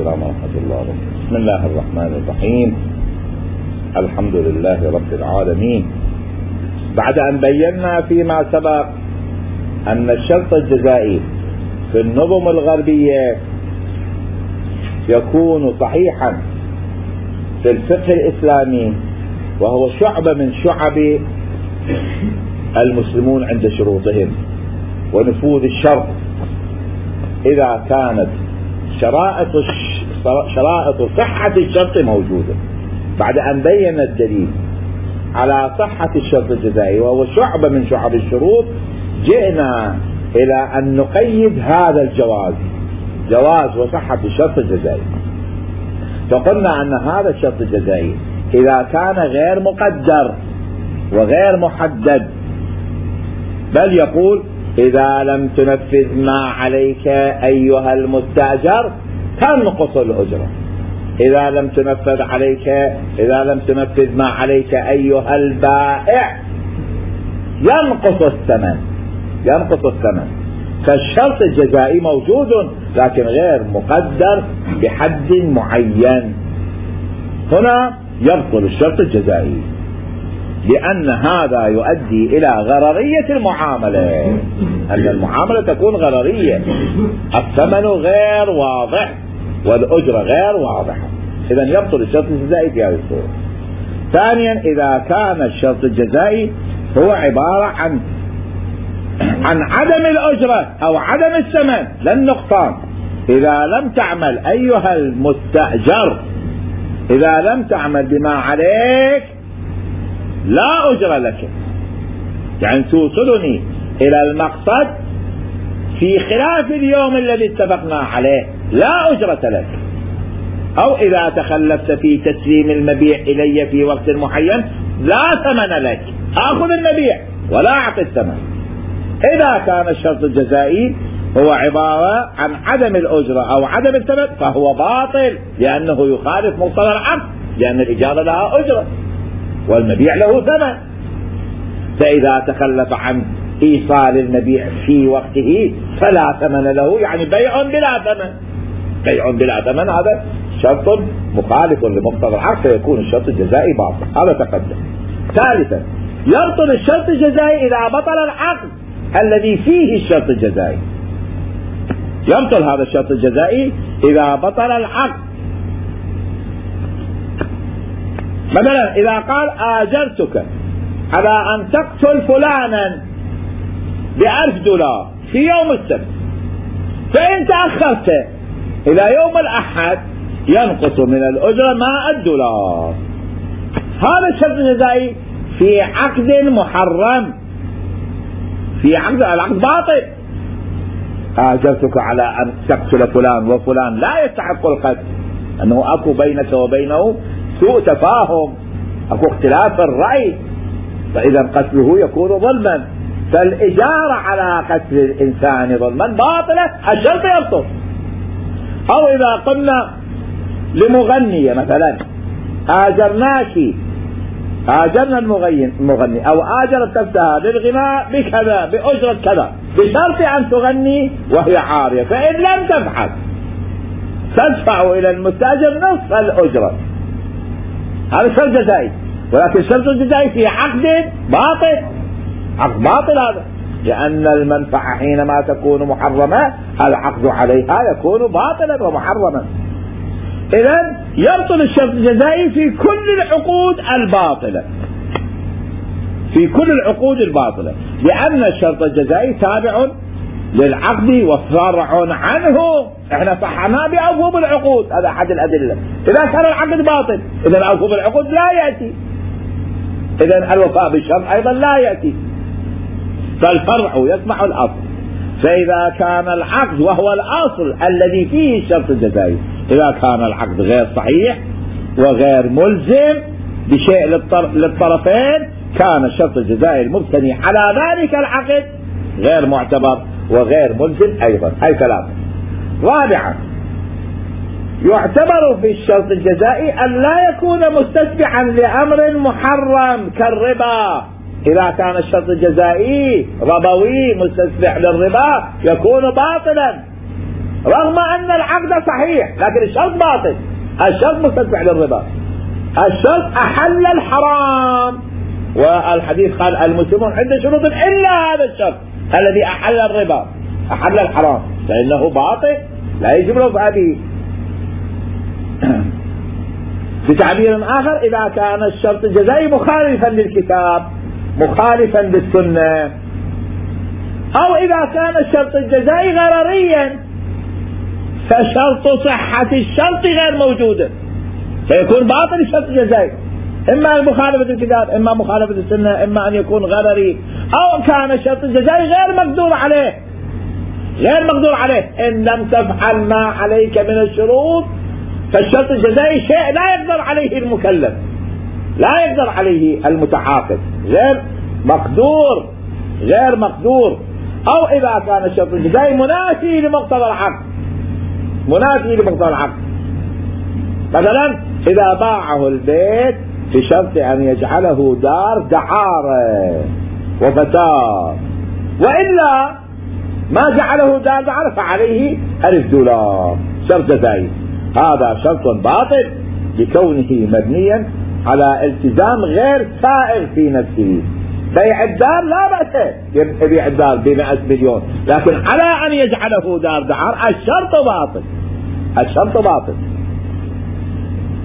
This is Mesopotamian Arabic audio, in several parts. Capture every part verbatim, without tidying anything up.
السلام ورحمة الله وبركاته. بسم الله الرحمن الرحيم. الحمد لله رب العالمين. بعد أن بينا فيما سبق أن الشرط الجزائي في النظم الغربية يكون صحيحا في الفقه الإسلامي، وهو شعبة من شعب المسلمون عند شروطهم ونفوذ الشرط إذا كانت شرائط شرائط صحة الشرط موجودة. بعد أن بين الدليل على صحة الشرط الجزائي وهو شعبة من شعب الشروط، جئنا إلى أن نقيد هذا الجواز، جواز وصحة الشرط الجزائي. فقلنا أن هذا الشرط الجزائي إذا كان غير مقدر وغير محدد، بل يقول إذا لم تنفذ ما عليك أيها المستأجر تنقص الأجرة، إذا لم تنفذ عليك إذا لم تنفذ ما عليك أيها البائع ينقص الثمن ينقص الثمن فالشرط الجزائي موجود لكن غير مقدر بحد معين. هنا يبطل الشرط الجزائي لأن هذا يؤدي إلى غررية المعاملة، أن المعاملة تكون غررية، الثمن غير واضح والأجرة غير واضحة، إذن يبطل الشرط الجزائي في هذه الصورة. ثانيا، إذا كان الشرط الجزائي هو عبارة عن عن عدم الأجرة أو عدم الثمن لا النقصان، إذا لم تعمل أيها المستأجر إذا لم تعمل بما عليك لا أجر لك، يعني توصلني إلى المقصد في خلاف اليوم الذي اتفقنا عليه لا أجرة لك، أو إذا تخلفت في تسليم المبيع إلي في وقت معين لا ثمن لك، أخذ المبيع ولا أعطي الثمن. إذا كان الشرط الجزائي هو عبارة عن عدم الأجرة أو عدم الثمن فهو باطل، لأنه يخالف مقتضى العقد، لأن الإجارة لها أجرة والمبيع له ثمن. فإذا تخلف عن إيصال المبيع في وقته فلا ثمن له، يعني بيع بلا ثمن، بيع بلا ثمن هذا شرط مخالف لمقتضى العقد، فيكون الشرط الجزائي باطل. هذا تقدم. ثالثا، يبطل الشرط الجزائي إذا بطل العقد الذي فيه الشرط الجزائي. يبطل هذا الشرط الجزائي إذا بطل العقد. مثلا إذا قال آجرتك على أن تقتل فلانا بألف دولار في يوم السبت، فإن تأخرت إلى يوم الأحد ينقص من الأجرة مائة دولار. هذا الشرط الجزائي في عقد محرم، في عقد العقد باطل. آجرتك على أن تقتل فلان وفلان لا يستحق القتل، أنه أكو بينك وبينه سوء تفاهم، أكو اختلاف الرأي، فإذا قتله يكون ظلما، فالإجارة على قتل الإنسان ظلما باطلة، الشرط يبطل. أو إذا قلنا لمغنية مثلا آجرناك آجرنا المغني أو آجرت نفسها للغناء بكذا بأجرة كذا بشرط أن تغني وهي عارية، فإن لم تفعل تدفع إلى المستأجر نصف الأجرة. هذا شرط جزائي، ولكن الشرط الجزائي في عقد باطل، عقد باطل هذا، لأن المنفعة حينما تكون محرمة العقد عليها يكون باطلا ومحرما. إذن يبطل الشرط الجزائي في كل العقود الباطلة، في كل العقود الباطلة، لأن الشرط الجزائي تابع للعقد وفرع عنه. احنا صحناه بأوفوا العقود، هذا أحد الأدلة. إذا كان العقد باطل إذن أوفوا العقود لا يأتي، إذن الوفاء بالشرط أيضا لا يأتي، فالفرع يتبع الأصل. فإذا كان العقد وهو الأصل الذي فيه الشرط الجزائي، إذا كان العقد غير صحيح وغير ملزم بشيء للطرفين كان الشرط الجزائي المبتني على ذلك العقد غير معتبر وغير ملزم أيضا. أي ثلاثة. رابعا، يعتبر في الشرط الجزائي أن لا يكون مستتبعا لأمر محرم كالربا. إذا كان الشرط الجزائي ربوي مستتبع للربا يكون باطلا، رغم أن العقد صحيح لكن الشرط باطل. الشرط مستدفع للربا، الشرط أحل الحرام، والحديث قال المسلمون عند شروط إلا هذا الشرط الذي أحل الربا أحل الحرام فإنه باطل لا يجب رفع به. بتعبير آخر إذا كان الشرط الجزائي مخالفا للكتاب مخالفا للسنة، أو إذا كان الشرط الجزائي غرريا فشرط صحة الشرط غير موجودة فيكون باطل الشرط الجزائي، إما مخالفة الكتاب إما مخالفة السنة إما أن يكون غرري، أو كان الشرط الجزائي غير مقدور عليه غير مقدور عليه إن لم تفعل ما عليك من الشروط فالشرط الجزائي شيء لا يقدر عليه المكلف لا يقدر عليه المتعاقد غير مقدور غير مقدور. أو إذا كان الشرط الجزائي منافي لمقتضى العقد منافي لمقتضى العقد، مثلا إذا باعه البيت بشرط أن يجعله دار دعارة وفتاة وإلا ما جعله دار دعارة فعليه ألف دولار شرط جزائي، هذا شرط باطل لكونه مبنيا على التزام غير سائر في نفسه. بيع الدار لا بأس يبيع الدار بمئة مليون لكن على أن يجعله دار دعار الشرط باطل الشرط باطل.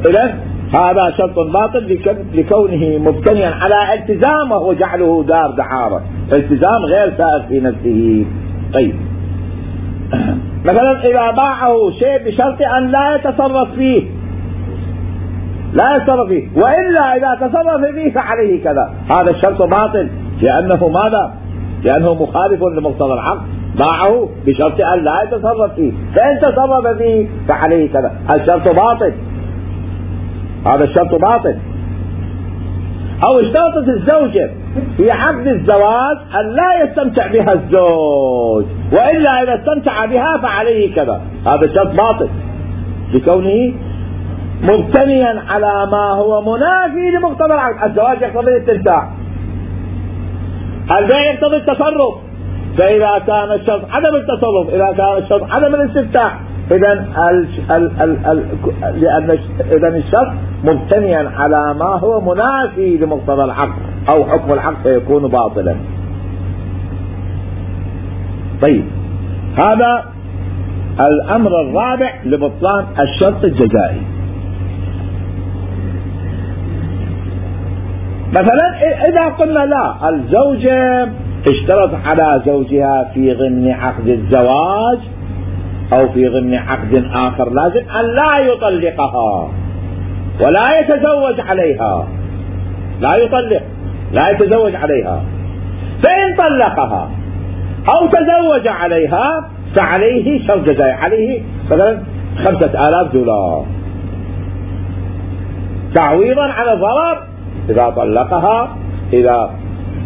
إذن هذا شرط باطل لكونه مبتنيا على التزام وهو جعله دار دعارة التزام غير سائر في نفسه. طيب مثلا إذا باعه شيء بشرط أن لا يتصرف فيه لا يتصرف فيه وإلا إذا تصرف فيه فعليه كذا، هذا الشرط باطل لأنه ماذا؟ لأنه مخالف لمقتضى العقد، باعه بشرط أن لا يتصرف فيه فإن تصرف فيه فعليه كذا، الشرط باطل هذا الشرط باطل. أو اشترطت الزوجة في عقد الزواج أن لا يستمتع بها الزوج وإلا إذا استمتع بها فعليه كذا، هذا الشرط باطل لكونه مبتنيا على ما هو منافي لمقتضى العقد. الزواج يقتضي الاستمتاع، البيع يقتضي التصرف، فإذا كان الشرط عدم التصرف إذا كان الشرط عدم الاستمتاع إذن ال ال ال ال لأن إذن الشرط مبتنيا على ما هو منافي لمقتضى العقد أو حكم العقد فيكون باطلا. طيب هذا الأمر الرابع لبطلان الشرط الجزائي. مثلا إذا قلنا لا الزوجة اشترط على زوجها في ضمن عقد الزواج أو في ضمن عقد آخر لازم أن لا يطلقها ولا يتزوج عليها لا يطلق لا يتزوج عليها، فإن طلقها أو تزوج عليها فعليه شرط جزائي، عليه مثلا خمسة آلاف دولار تعويضا على الضرر إذا طلقها إذا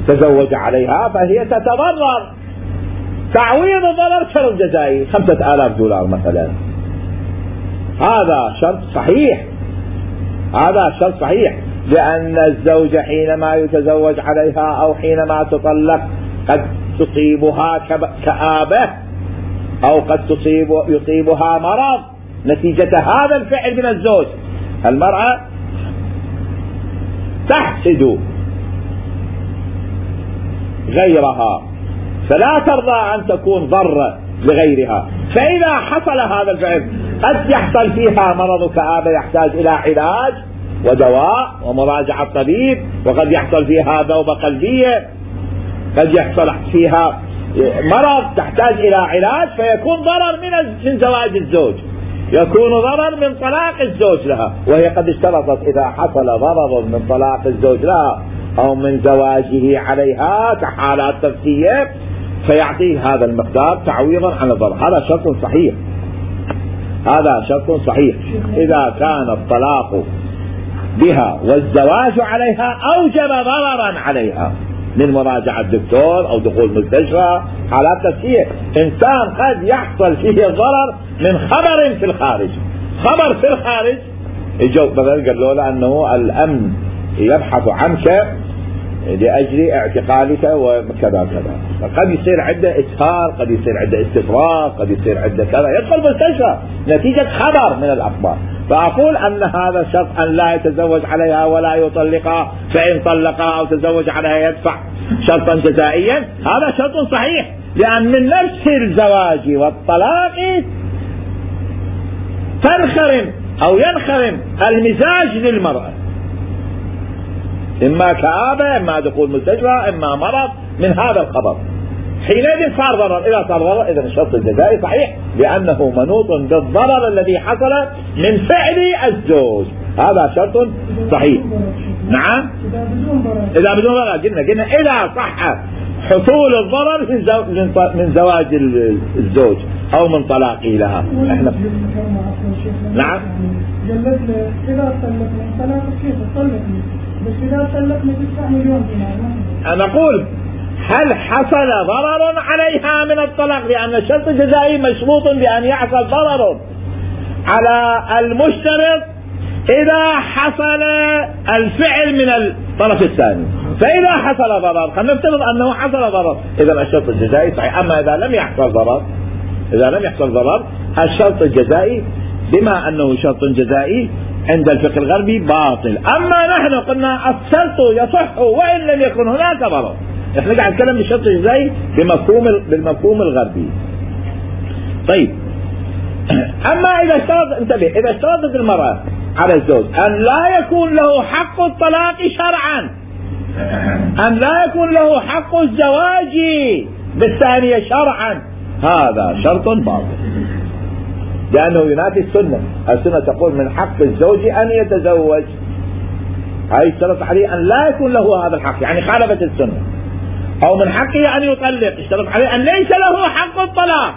تزوج عليها فهي تتضرر، تعويض الضرر شرط جزائي خمسة آلاف دولار مثلا. هذا شرط صحيح هذا شرط صحيح لأن الزوج حينما يتزوج عليها أو حينما تطلق قد تصيبها كآبة أو قد تصيب يصيبها مرض نتيجة هذا الفعل من الزوج. المرأة تحسد غيرها فلا ترضى أن تكون ضرة لغيرها، فإذا حصل هذا الفعل قد يحصل فيها مرض كآبة يحتاج إلى علاج ودواء ومراجعة طبيب، وقد يحصل فيها ذوبة قلبية، قد يحصل فيها مرض تحتاج إلى علاج فيكون ضرر من من زواج الزوج، يكون ضرر من طلاق الزوج لها، وهي قد اشترطت إذا حصل ضرر من طلاق الزوج لها أو من زواجه عليها كحالات نفسية فيعطيه هذا المقدار تعويضا عن الضرر. هذا شرط صحيح هذا شرط صحيح إذا كان الطلاق بها والزواج عليها أوجب ضررا عليها من مراجعة الدكتور أو دخول مستشفى حالات نفسية. إنسان قد يحصل فيه الضرر من خبر في الخارج خبر في الخارج يجوا مثلا قالوا له أنه الأمن يبحث عنك لأجل اعتقالك وكذا كذا. قد يصير عنده إسهال، قد يصير عنده استفراغ، قد يصير عنده كذا، يدخل مستشفى نتيجة خبر من الأخبار. فأقول أن هذا شرط أن لا يتزوج عليها ولا يطلقها، فإن طلقها أو تزوج عليها يدفع شرطا جزائيا. هذا شرط صحيح، لأن من نفس الزواج والطلاق تنخرم أو ينخرم المزاج للمرأة، إما كآبة، إما دخول مستشفى، إما مرض من هذا الخبر. حينئذ صار ضرر. إذا صار ضرر إذا الشرط الجزائي صحيح، لأنه منوط بالضرر الذي حصل من فعل الزوج. هذا شرط صحيح. نعم، إذا بدون ضرر. قلنا قلنا إذا صح حصول الضرر من زواج الزوج أو من طلاقه لها. احنا نعم. إذا طلقنا طلاق كيف طلقني؟ بس إذا طلقنا تدفع مليون دينار. أنا أقول هل حصل ضرر عليها من الطلاق؟ لأن الشرط الجزائي مشروط بأن يحصل ضرر على المشترط إذا حصل الفعل من الطرف الثاني. فإذا حصل ضرر، خلينا نفترض أنه حصل ضرر، إذا الشرط الجزائي صحيح. أما إذا لم يحصل ضرر، إذا لم يحصل ضرر الشرط الجزائي بما أنه شرط جزائي عند الفقه الغربي باطل. أما نحن قلنا الشرط يصح وإن لم يكن هناك ضرر. احنا قاعد نتكلم بالشرط الجزائي بمفهوم بالمفهوم الغربي. طيب، أما إذا اشترط، انتبه، إذا اشترطت المرأة على الزوج أن لا يكون له حق الطلاق شرعا، أن لا يكون له حق الزواج بالثانية شرعا، هذا شرط باطل، لأنه ينافي السنة. السنة تقول من حق الزوج أن يتزوج، هاي اشترط عليه أن لا يكون له هذا الحق، يعني خالفت السنة. أو من حقه أن يطلق، اشترط عليه أن ليس له حق الطلاق.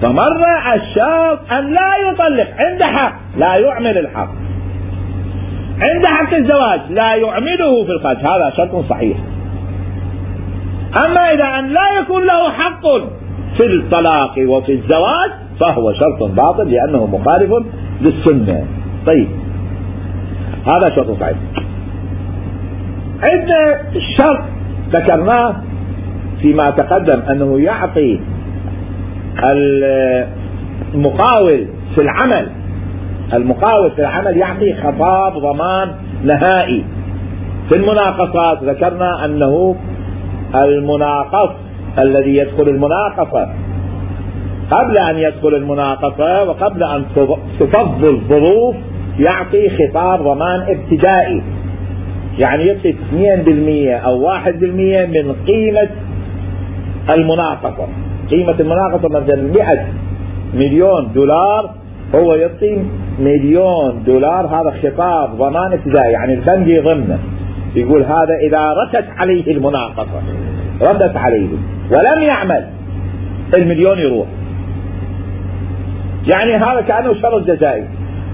فمر الشرط أن لا يطلق، عنده حق لا يعمل الحق، عنده حق الزواج لا يعمله في الخارج، هذا شرط صحيح. أما إذا أن لا يكون له حق في الطلاق وفي الزواج فهو شرط باطل لأنه مخالف للسنة. طيب، هذا شرط صحيح. عندنا الشرط ذكرناه فيما تقدم أنه يعطي المقاول في العمل، المقاول في العمل يعطي خطاب ضمان نهائي. في المناقصات ذكرنا أنه المناقص الذي يدخل المناقصة قبل أن يدخل المناقصة وقبل أن تفض الظروف يعطي خطاب ضمان ابتدائي، يعني يعطي اثنين بالمئة أو واحد بالمئة من قيمة المناقصة. قيمة المناقصة مثلا مئة مليون دولار، هو يعطي مليون دولار، هذا خطاب ضمان ابتدائي، يعني البنك يضمنه، يقول هذا إذا رست عليه المناقصة، ردت عليه ولم يعمل المليون يروح. يعني هذا كأنه شرط جزائي،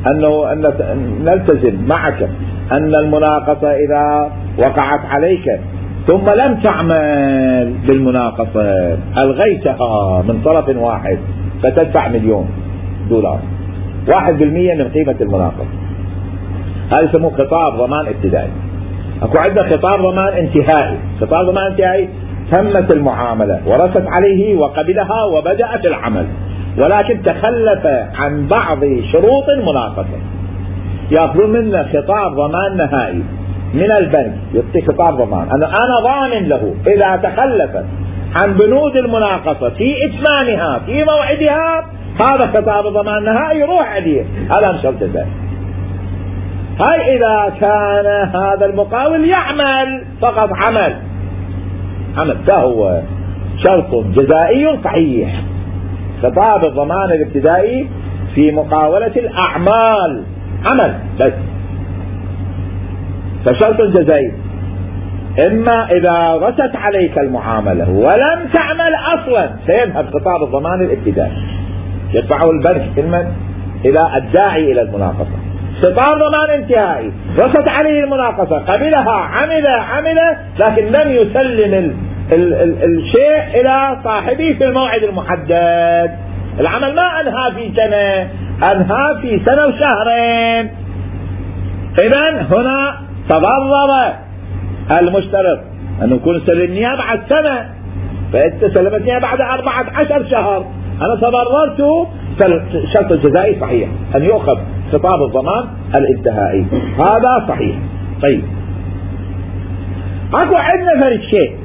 أنه أن نلتزم معك أن المناقصة إذا وقعت عليك ثم لم تعمل بالمناقصة، ألغيتها من طرف واحد، فتدفع مليون دولار، واحد بالمئة من قيمة المناقصة. هذا يسموه خطاب ضمان ابتدائي. أكو عندنا خطاب ضمان انتهائي. خطاب ضمان انتهائي تمت المعاملة ورست عليه وقبلها وبدأ في العمل، ولكن تخلف عن بعض شروط المناقصة، يأخذون منا خطاب ضمان نهائي من البنك، يعطي خطاب ضمان أنا أنا ضامن له إذا تخلفت عن بنود المناقصة في إتمامها في موعدها، هذا خطاب ضمان نهائي يروح عليه، هذا مش شرط جزائي. هاي إذا كان هذا المقاول يعمل فقط عمل عمل فهو شرط جزائي صحيح. خطاب الضمان الابتدائي في مقاولة الأعمال عمل بس، فشرط جزائي. إما إذا رست عليك المعاملة ولم تعمل أصلا سيذهب خطاب الضمان الابتدائي، يدفعه البنك علما إلى الداعي إلى المناقصة. خطاب ضمان انتهائي رست عليه المناقصة، قبلها عمل عمل لكن لم يسلم ال ال ال الشيء إلى صاحبه في الموعد المحدد، العمل ما أنهى في سنة، أنهى في سنة وشهرين، إذن هنا تضرر المشترط أن يكون سلمنيها بعد سنة، فأنت سلمتنيها بعد أربعة عشر شهر، أنا تضررت، فالشرط الجزائي صحيح أن يؤخذ خطاب الضمان الانتهائي، هذا صحيح. طيب اكو عندنا فرق شيء،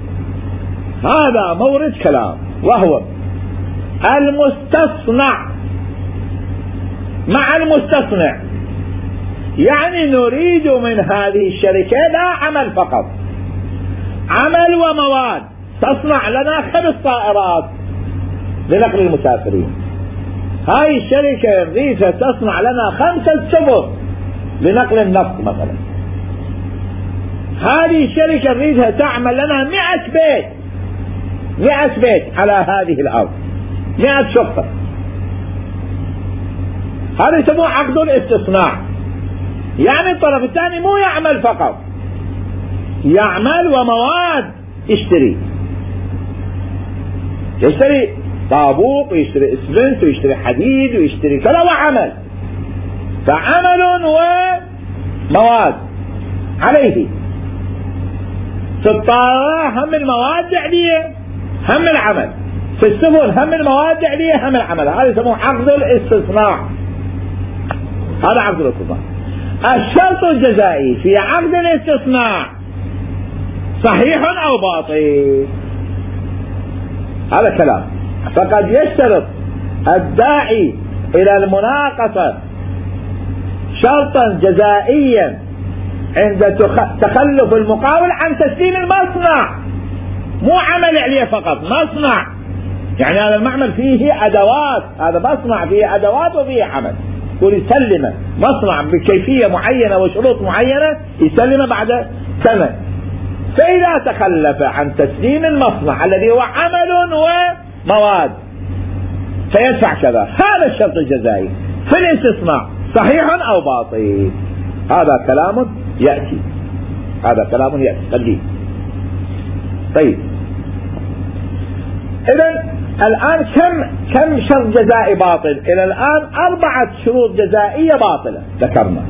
هذا مورد كلام، وهو المستصنع مع المستصنع. يعني نريد من هذه الشركة لا عمل فقط، عمل ومواد. تصنع لنا خمس طائرات لنقل المسافرين، هاي الشركة نريدها تصنع لنا خمسة سفن لنقل النفط مثلا، هذه الشركة نريدها تعمل لنا مئة بيت مئة بيت على هذه الأرض، مئة شقة. هذا يسموه عقد الاستصناع. يعني الطرف الثاني مو يعمل فقط، يعمل ومواد، يشتري يشتري طابوق ويشتري اسفنت ويشتري حديد ويشتري كذا، وعمل، فعمل ومواد عليه. في الطائرة هم المواد عليه هم العمل، في السفن هم المواد عليه هم العمل. هذا يسموه عقد الاستصناع، هذا عقد الاستصناع. الشرط الجزائي في عقد الاستصناع صحيح أو باطل؟ هذا كلام. فقد يشترط الداعي إلى المناقصة شرطا جزائيا عند تخلف المقاول عن تسليم المصنع، مو عمل عليه فقط، مصنع. يعني هذا المعمل فيه أدوات، هذا مصنع فيه أدوات وفيه عمل، يقول يسلمه مصنع بكيفية معينة وشروط معينة، يسلمه بعد سنة. فإذا تخلف عن تسليم المصنع الذي هو عمل ومواد فيدفع كذا. هذا الشرط الجزائي في الاستصناع صحيح أو باطل؟ هذا كلام يأتي، هذا كلام يأتي خليه. طيب إذن الآن كم كم شرط جزائي باطل؟ إلى الآن أربعة شروط جزائية باطلة ذكرنا.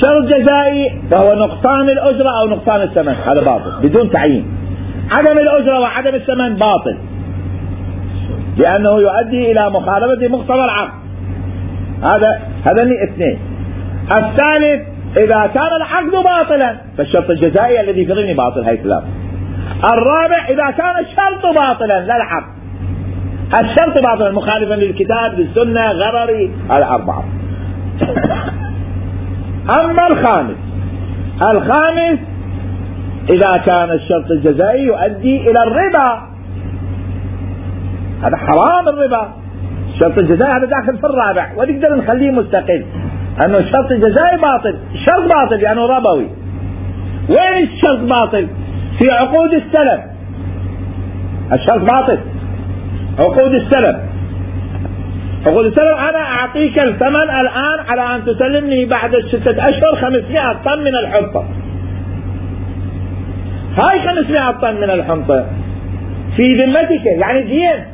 شرط جزائي وهو نقصان الأجرة أو نقصان الثمن، هذا باطل بدون تعيين. عدم الأجرة وعدم الثمن باطل، لأنه يؤدي إلى مخالفة مقتضى العقد. هذا هذا اثنين. الثالث إذا كان العقد باطلا فالشرط الجزائي الذي في ضمن باطل، هاي ثلاثة. الرابع إذا كان الشرط باطلا لا العقد، الشرط باطلا مخالفا للكتاب للسنة غرري، هذا أربعة. أما الخامس الخامس إذا كان الشرط الجزائي يؤدي إلى الربا، هذا حرام الربا. الشرط الجزائي هذا داخل في الرابع، ونقدر نخليه مستقل، أنه الشرط الجزائي باطل، الشرط باطل لأنه يعني ربوي. وين الشرط باطل؟ في عقود السلم، الشرط باطل عقود السلم. عقود السلم أنا أعطيك الثمن الآن على أن تسلمني بعد ستة أشهر خمسمائة طن من الحنطة. هاي خمسمائة طن من الحنطة في ذمتك، يعني دين،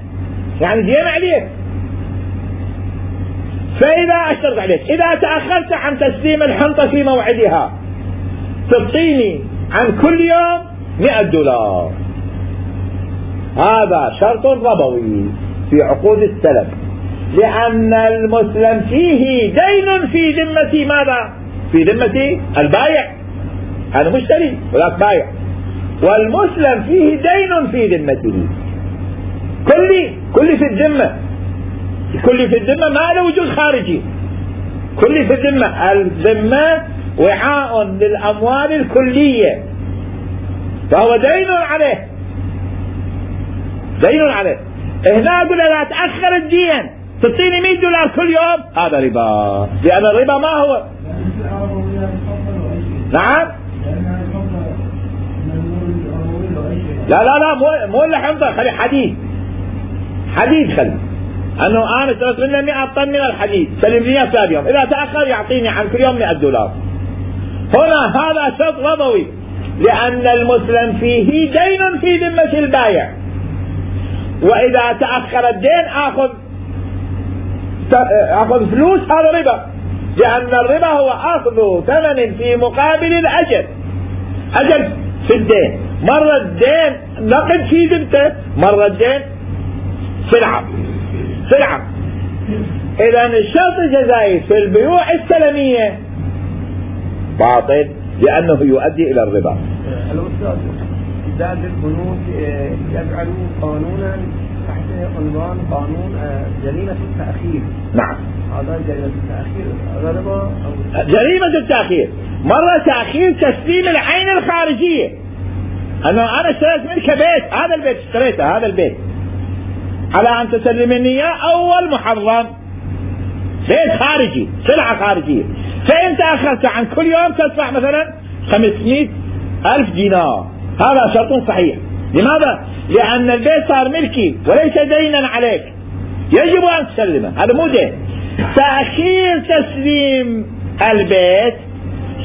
يعني دين عليك. فإذا أشترط عليك إذا تأخرت عن تسليم الحنطة في موعدها تعطيني عن كل يوم مئة دولار. هذا شرط ربوي في عقود السلم، لأن المسلم فيه دين في ذمة ماذا؟ في ذمة البائع، أنا مشتري ولاك بايع، والمسلم فيه دين في ذمته. كل كل في الذمة، كل في الذمة ما له وجود خارجي، كل في الذمة. الذمة وعاء للأموال الكلية، فهو دين عليه، دين عليه. هنا أقول لا تأخر الدين تعطيني مئة دولار كل يوم، هذا ربا، لأن الربا ما هو. نعم لا لا لا مو مو الحنطة، خلي حديد، حديد خلي، أنه أنا اشتريت منه مئة طن من الحديد سلم لي ثاني يوم، إذا تأخر يعطيني عن كل يوم مئة دولار. هنا هذا شرط ربوي، لأن المسلم فيه دين في ذمة البائع، وإذا تأخر الدين آخذ أخذ فلوس، هذا ربا، لأن الربا هو أخذ ثمن في مقابل الأجر. أجل في الدين، مرة الدين نقد في ذمته، مرة الدين سلعة سلعة. إذا الشرط الجزائي في البيوع السلمية باطل لأنه يؤدي إلى الربا. الأستاذ إذا البنوك يجعلوا قانونا تحت عنوان قانون جريمة التأخير. نعم. هذا جريمة التأخير ربا. جريمة التأخير مرة تأخير تسليم العين الخارجية. أنا أنا اشتريت منك بيت، هذا البيت اشتريته، هذا البيت على أن تسلمني إياه أول محرم، بيت خارجي، سلعة خارجية، فأنت أخذت عن كل يوم تدفع مثلا خمسمائة ألف دينار، هذا شرط صحيح. لماذا؟ لأن البيت صار ملكي وليس دينا عليك، يجب أن تسلمه، هذا مو دين. تأخير تسليم البيت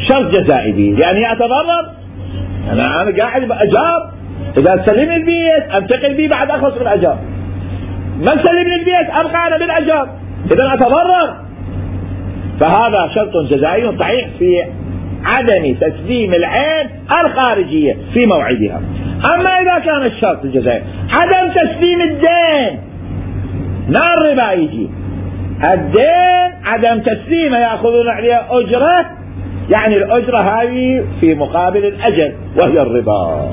شرط جزائي به، يعني أتضرر، أنا أنا قاعد بأجار، إذا تسلمني البيت أنتقل به بعد أخلص من الأجار، ما تسلمني البيت أبقى أنا بالأجار، إذا أتضرر. فهذا شرط جزائي صحيح في عدم تسليم العين الخارجية في موعدها. أما إذا كان الشرط الجزائي عدم تسليم الدين، نار الربا يجي الدين عدم تسليمه، يأخذون عليه أجرة، يعني الأجرة هذه في مقابل الأجل وهي الربا.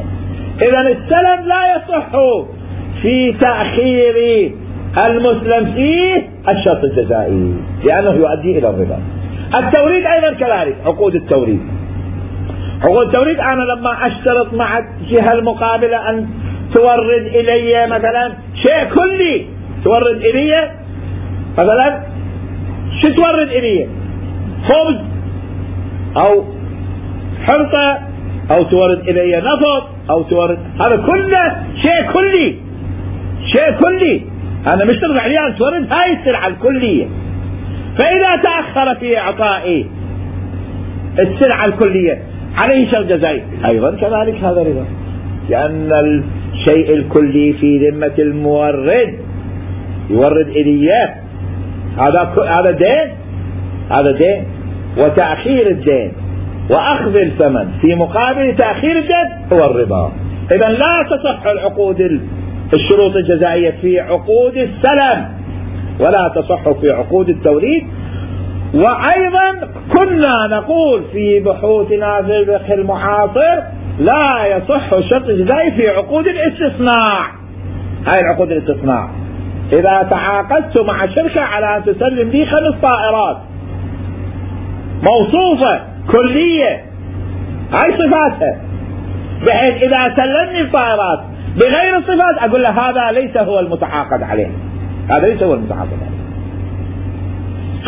إذا السلم لا يصح في تأخير المسلم فيه الشرط الجزائي لأنه يؤدي إلى الربا. التوريد أيضا كذلك، عقود التوريد عقود التوريد أنا لما أشترط مع الجهة المقابلة أن تورد إلي مثلا شيء كلي، تورد إلي مثلا شو تورد إلي؟ خبز أو حنطة أو تورد إلي نفط أو تورد، هذا كله شيء كلي، شيء كلي، أنا مشترط عليه أن تورد هاي السلعة الكلية. فإذا تأخر في إعطائي السلعة الكلية عليه شرط جزائي أيضا كذلك، هذا ربا، لأن الشيء الكلي في ذمة المورد، يورد إليه، هذا هذا دين، هذا دين. وتأخير الدين وأخذ الثمن في مقابل تأخير الدين هو الربا. إذا لا تصح العقود الشروط الجزائية في عقود السلم ولا تصح في عقود التوريد. وأيضا كنا نقول في بحوثنا في الفقه المعاصر لا يصح الشرط الجزائي في عقود الاستثناء. هاي العقود الاستثناء، إذا تعاقدت مع شركة على أن تسلم لي خمس طائرات موصوفة كلية، هاي صفاتها، بحيث إذا سلمني الطائرات بغير الصفات أقول له هذا ليس هو المتعاقد عليه، هذا ليس هو المتعاقد عليه.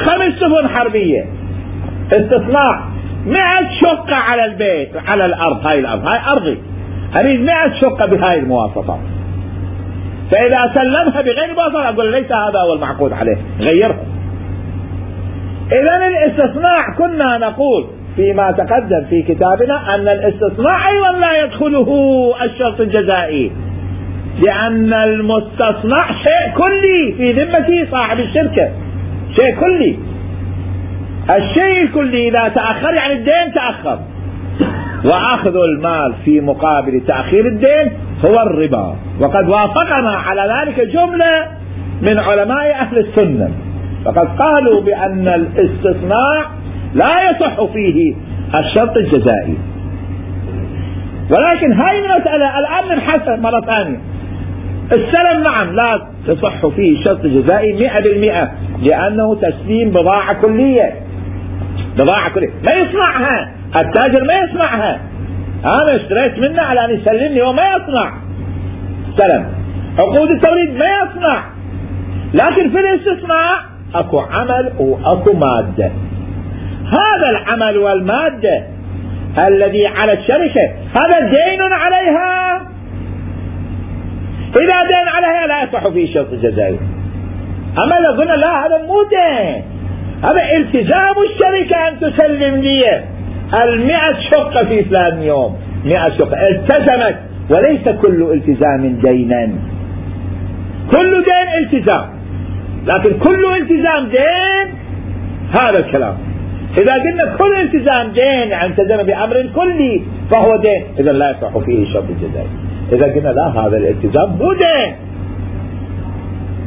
خمس سفن حربية استثناء، مئة شقة على البيت على الأرض، هاي الأرض هاي أرضي، أريد مئة شقة بهاي المواصفات، فإذا سلمها بغير مواصفات أقول ليس هذا هو المعقود عليه، غيرها. إذن الاستثناء كنا نقول فيما تقدم في كتابنا أن الاستثناء أيضا لا يدخله الشرط الجزائي، لأن المستصنع شيء كلي في ذمة صاحب الشركة، شيء كلي. الشيء الكلي إذا تأخر يعني الدين تأخر، وأخذ المال في مقابل تأخير الدين هو الربا. وقد وافقنا على ذلك جملة من علماء أهل السنة، فقد قالوا بأن الاستثناء لا يصح فيه الشرط الجزائي. ولكن هاي المسألة الآن نبحثها مرة ثانية. السلم نعم لا تصح فيه شرط جزائي مئة بالمئة، لأنه تسليم بضاعة كلية، بضاعة كلية ما يصنعها التاجر، ما يصنعها، أنا اشتريت منه على أن يسلمني وما يصنع سلم. عقود التوريد ما يصنع، لكن في الاستثناء أكو عمل وأكو مادة. هذا العمل والمادة الذي على الشركة هذا دين عليها، إذا دين عليها لا يصح فيه شرط الجزائي. أما لو قلنا لا هذا مو دين، هذا التزام الشركة أن تسلم لي المئة شقة في فلان يوم، مئة شقة التزمت، وليس كل التزام دينا، كل دين التزام، لكن كل التزام دين، هذا الكلام. إذا قلنا كل التزام دين، يعني التزم بأمر كلي فهو دين، إذا لا يصح فيه الشرط الجزائي. إذا قلنا لا، هذا الالتزام مو دين،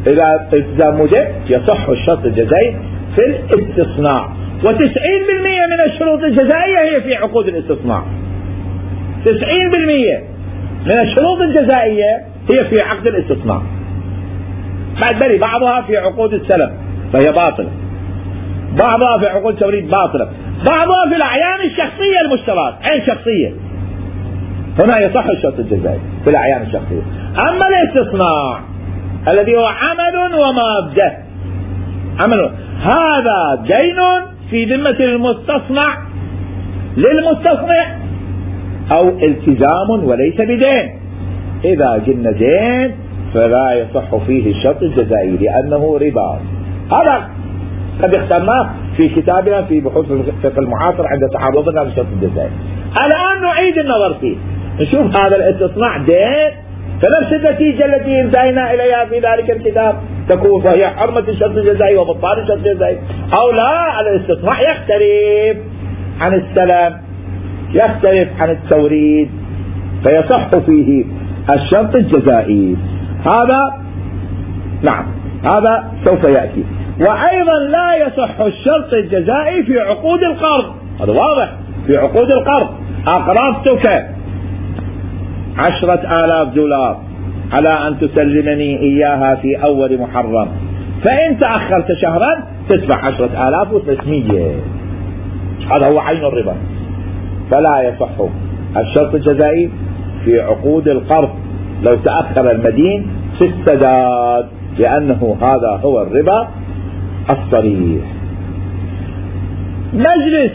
إذا الالتزام مو دين يصح الشرط الجزائي في الاستصناع. وتسعين بالمئة من الشروط الجزائية هي في عقود الاستصناع. تسعين بالمئة من الشروط الجزائية هي في عقد الاستصناع. بعد بري بعضها في عقود السلم فهي باطلة، بعضها في عقود التوريد باطلة، بعضها في الأعيان الشخصية المشترات، عين شخصية، هنا يصح الشرط الجزائي في الأعيان الشخصية. أما الاستصناع الذي هو عمل ومادة، عمل هذا دين في ذمة المستصنع للمستصنع أو التزام وليس بدين. إذا قلنا دين فلا يصح فيه الشرط الجزائي لأنه ربا. هذا قد اخترناه في كتابنا في بحوث الفقه المعاصر عند تعرضنا للشرط الجزائي. الآن نعيد النظر فيه، نشوف هذا الاستصناع دين، فنفس النتيجة التي انتهينا إليها في ذلك الكتاب تكون، فهي حرمة الشرط الجزائي وبطلان الشرط الجزائي، أو لا، الاستصناع يختلف عن السلم، يختلف عن التوريد، فيصح فيه الشرط الجزائي. هذا نعم، هذا سوف يأتي. وأيضا لا يصح الشرط الجزائي في عقود القرض، هذا واضح، في عقود القرض أقرضتك عشرة آلاف دولار على أن تسلمني إياها في أول محرم، فإن تأخرت شهرا تدفع عشرة آلاف وثلاثمية، هذا هو عين الربا. فلا يصح الشرط الجزائي في عقود القرض لو تأخر المدين في السداد، لأنه هذا هو الربا الصريح. مجلس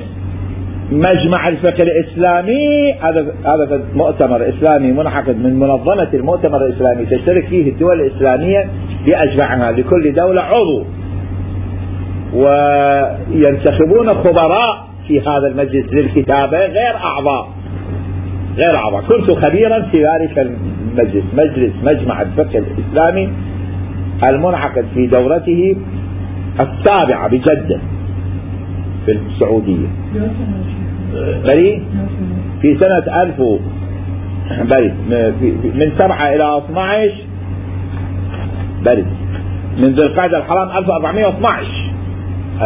مجمع الفقه الإسلامي، هذا هذا مؤتمر إسلامي منعقد من منظمة المؤتمر الإسلامي، تشترك فيه الدول الإسلامية بأجمعها، لكل دولة عضو، وينتخبون خبراء في هذا المجلس للكتابة غير أعضاء، غير أعضاء. كنت خبيرا في ذلك المجلس، مجلس مجمع الفقه الإسلامي المنعقد في دورته السابعة بجدة في السعودية، بري في سنة ألف بري من سبعة إلى اثني عشر بري من ذي القعدة الحرام ألف وأربعمائة واثني عشر،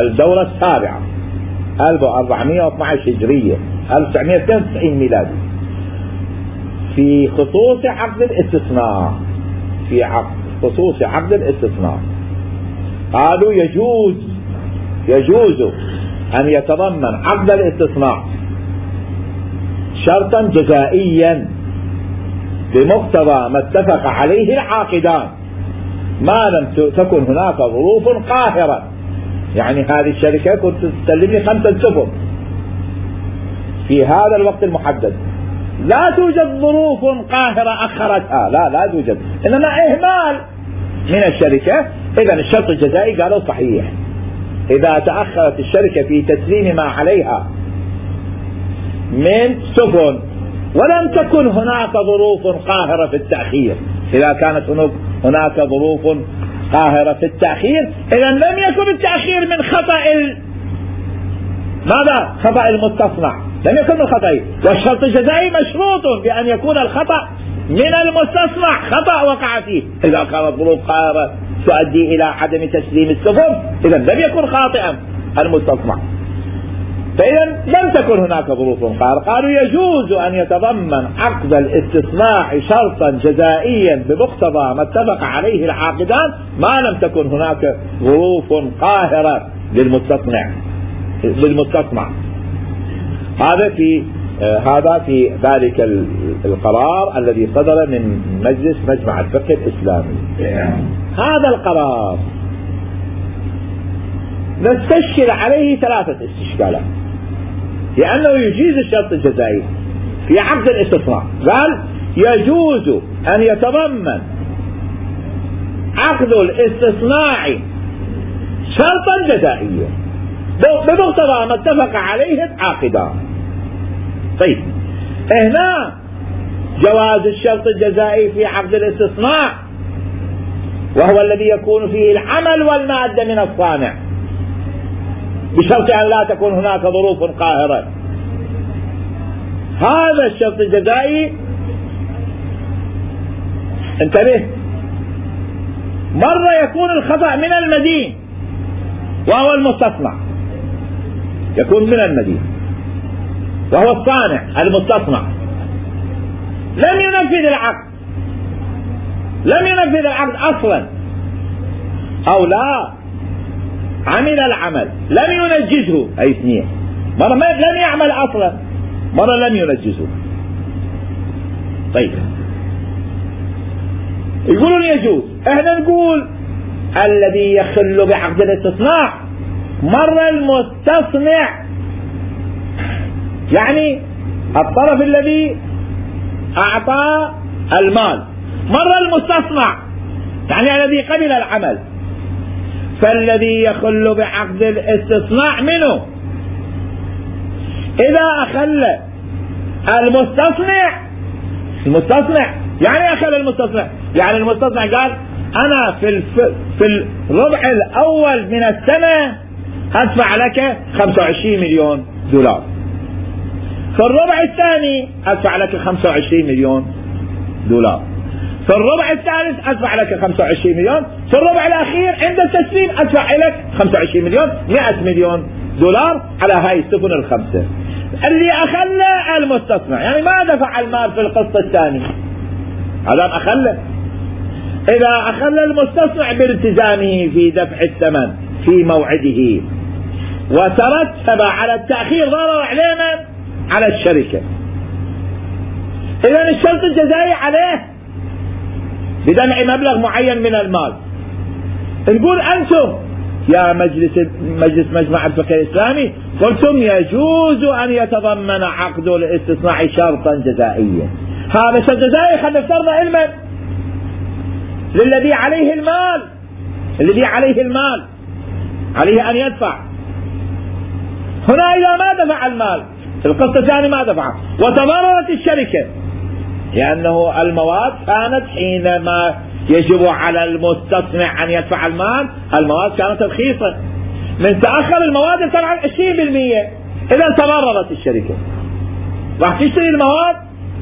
الدورة السابعة ألف وأربعمائة واثني عشر هجرية ألف وتسعمائة واثنين وتسعين ميلادي، في خصوص عقد الاستصناع، في عقد خصوص عقد الاستصناع قالوا يجوز يجوز أن يتضمن عقد الاستصناع شرطا جزائيا بمقتضى ما اتفق عليه العاقدان، ما لم تكن هناك ظروف قاهرة. يعني هذه الشركة كنت تسلمني خمسة سفن في هذا الوقت المحدد، لا توجد ظروف قاهرة أخرتها، لا لا توجد، إنما إهمال من الشركة. إذا الشرط الجزائي قالوا صحيح إذا تأخرت الشركة في تسليم ما عليها من سفن ولم تكن هناك ظروف قاهرة في التأخير. إذا كانت هناك ظروف قاهرة في التأخير، إذا لم يكن التأخير من خطأ ال... ماذا؟ خطأ المستصنع، لم يكن من خطأ. والشرط الجزائي مشروط بأن يكون الخطأ من المستصنع، خطأ وقع فيه. إذا كانت ظروف قاهرة تؤدي إلى عدم تسليم السفن، إذا لم يكن خاطئا المستصنع. فإذا لم تكن هناك ظروف قاهرة. قالوا يجوز أن يتضمن عقد الاستصناع شرطا جزائيا بمقتضى ما اتفق عليه العاقدان ما لم تكن هناك ظروف قاهرة للمستصنع للمستصنع هذا في آه هذا في ذلك القرار الذي صدر من مجلس مجمع الفقه الإسلامي. هذا القرار نستشكل عليه ثلاثة استشكالات، لأنه يجيز الشرط الجزائي في عقد الاستصناع. قال يجوز أن يتضمن عقد الاستصناع شرطا جزائيا بمقتضى ما اتفق عليه العاقدان. طيب هنا جواز الشرط الجزائي في عقد الاستصناع وهو الذي يكون فيه العمل والمادة من الصانع، بشرط أن لا تكون هناك ظروف قاهرة. هذا الشرط الجزائي انتبه، مرة يكون الخطأ من المدين وهو المستصنع، يكون من المدين وهو الصانع المستصنع لم ينفذ العقد، لم ينفذ العقد أصلا، أو لا عمل العمل لم ينجزه، أي اثنين، مرة لم يعمل أصلا، مرة لم ينجزه. طيب يقولون يجوز، احنا نقول الذي يخل بعقد الاستصناع مرة المستصنع، يعني الطرف الذي أعطى المال، مرة المستصنع يعني الذي قبل العمل. فالذي يخل بعقد الاستصناع منه إذا أخل المستصنع، المستصنع يعني أخل المستصنع، يعني المستصنع قال أنا في الف... في الربع الأول من السنة أدفع لك خمسة وعشرين مليون دولار، في الربع الثاني أدفع لك خمسة وعشرين مليون دولار، في الربع الثالث أدفع لك خمسة وعشرين مليون، في الربع الأخير عند التسليم أدفع لك خمسة وعشرين مليون، مئة مليون دولار على هاي السفن الخمسة. اللي أخل المستصنع يعني ما دفع المال في القسط الثاني، هذا أخل. إذا أخل المستصنع بالتزامه في دفع الثمن في موعده وترتب على التأخير ضرر علينا على الشركة، إذن الشرط الجزائي عليه بدفع مبلغ معين من المال. نقول أنتم يا مجلس مجلس مجمع الفقه الإسلامي قلتم يجوز أن يتضمن عقد الاستثناء شرطا جزائيا، هذا شرط جزائي خلينا نفترض علما للذي عليه المال، الذي عليه المال عليه أن يدفع. هنا إذا ما دفع المال في القسط الثاني ما دفع وتضررت الشركة، لأنه المواد كانت حينما يجب على المستصنع أن يدفع المال المواد كانت رخيصة، من تأخر المواد ارتفع عن عشرين بالمئة، إذا تضررت الشركة راح تشتري المواد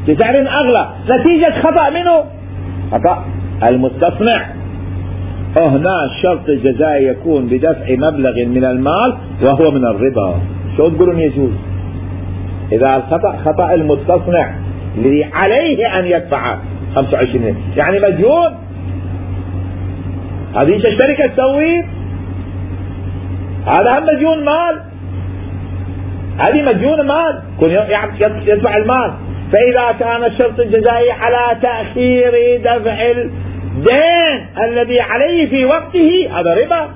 بسعر أغلى نتيجة خطأ منه، خطأ المستصنع. هنا الشرط الجزائي يكون بدفع مبلغ من المال وهو من الربا. شو تقولون يجوز؟ إذا الخطأ خطأ المستصنع الذي عليه أن يدفع خمسة وعشرين، يعني مديون، هذه الشركة تسوي، هذا هم مديون مال، هذه مديون مال كن يدفع المال. فإذا كان الشرط الجزائي على تأخير دفع الدين الذي عليه في وقته هذا ربا،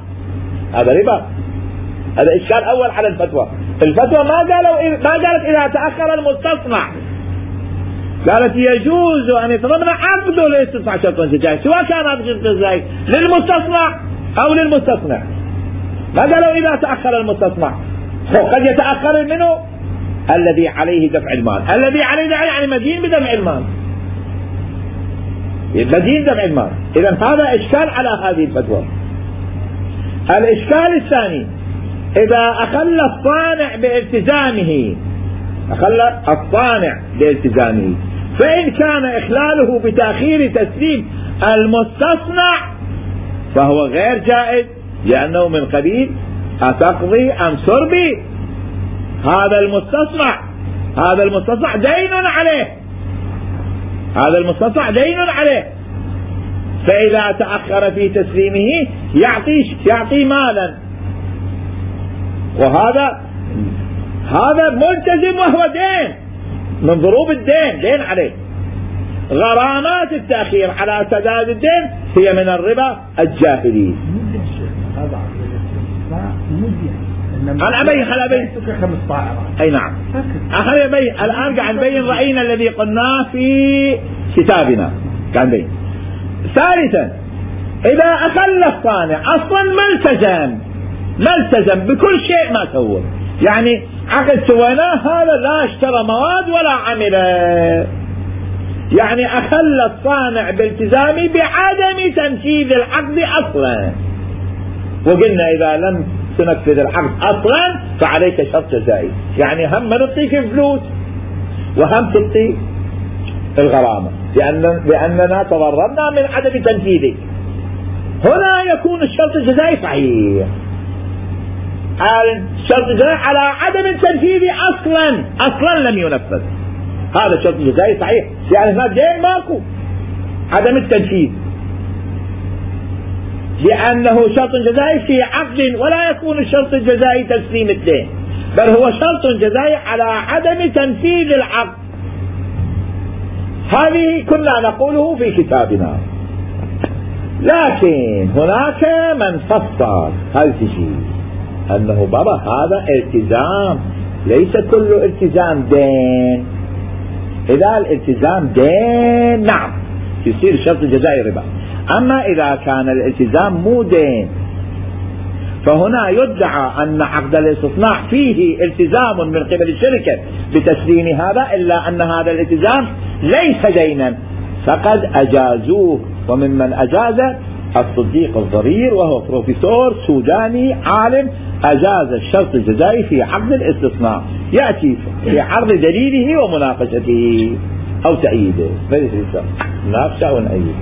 هذا ربا. هذا إشكال أول على الفتوى. الفتوى ما قالوا ما قالت إذا تأخر المستصنع، قالت يجوز أن يتضمن عقد الاستثناء شرطا جزائي، سواء كان هذا الشرط الجزائي للمستصنع أو للمستصنع. ما قالوا إذا تأخر المستصنع، قد يتأخر منه الذي عليه دفع المال، الذي عليه دفع يعني مدين بدفع المال، مدين دفع المال. إذن هذا إشكال على هذه الفتوى. الإشكال الثاني إذا أخل الصانع بالتزامه، أخل الصانع بالتزامه، فإن كان إخلاله بتأخير تسليم المستصنع فهو غير جائز، لأنه من قبيل أتقضي أم سربي، هذا المستصنع هذا المستصنع دين عليه، هذا المستصنع دين عليه، فإذا تأخر في تسليمه يعطي يعطي مالا، وهذا هذا ملتزم وهو دين من ضروب الدين، دين عليه. غرامات التأخير على سداد الدين هي من الربا الجاهلي. أنا أبين أنا أبين أي نعم أخلي أبين الآن قاعد نبين رأينا الذي قلناه في كتابنا قاعد نبين. ثالثا إذا أخل الصانع أصلا ملتزم ملتزم بكل شيء ما سوى، يعني عقد سويناه هذا لا اشترى مواد ولا عمل، يعني أخل الصانع بالتزامي بعدم تنفيذ العقد أصلا. وقلنا إذا لم تنفذ العقد أصلا فعليك شرط جزائي. يعني هم ما نعطيك الفلوس وهم تعطي الغرامة لأن لأننا تضررنا من عدم تنفيذك. هنا يكون الشرط الجزائي صحيح. الشرط الجزائي على عدم التنفيذ أصلا أصلا لم ينفذ، هذا الشرط الجزائي صحيح، يعني هناك دين ماكو، عدم التنفيذ لأنه شرط جزائي في عقد، ولا يكون الشرط الجزائي تسليم الدين، بل هو شرط جزائي على عدم تنفيذ العقد. هذه كنا نقوله في كتابنا، لكن هناك من فصل هذا الشيء أنه بابا هذا التزام، ليس كل التزام دين. إذا الالتزام دين نعم يصير الشرط الجزائي ربا، أما إذا كان الالتزام مو دين فهنا يدعى أن عقد الاستصناع فيه التزام من قبل الشركة بتسليم هذا، إلا أن هذا الالتزام ليس دينا فقد أجازوه. وممن أجاز الصديق الضرير وهو بروفيسور سوداني عالم أجاز الشرط الجزائي في عقد الاستصناع، يأتي في عرض دليله ومناقشته أو تأييده، مناقشة أو نأييده.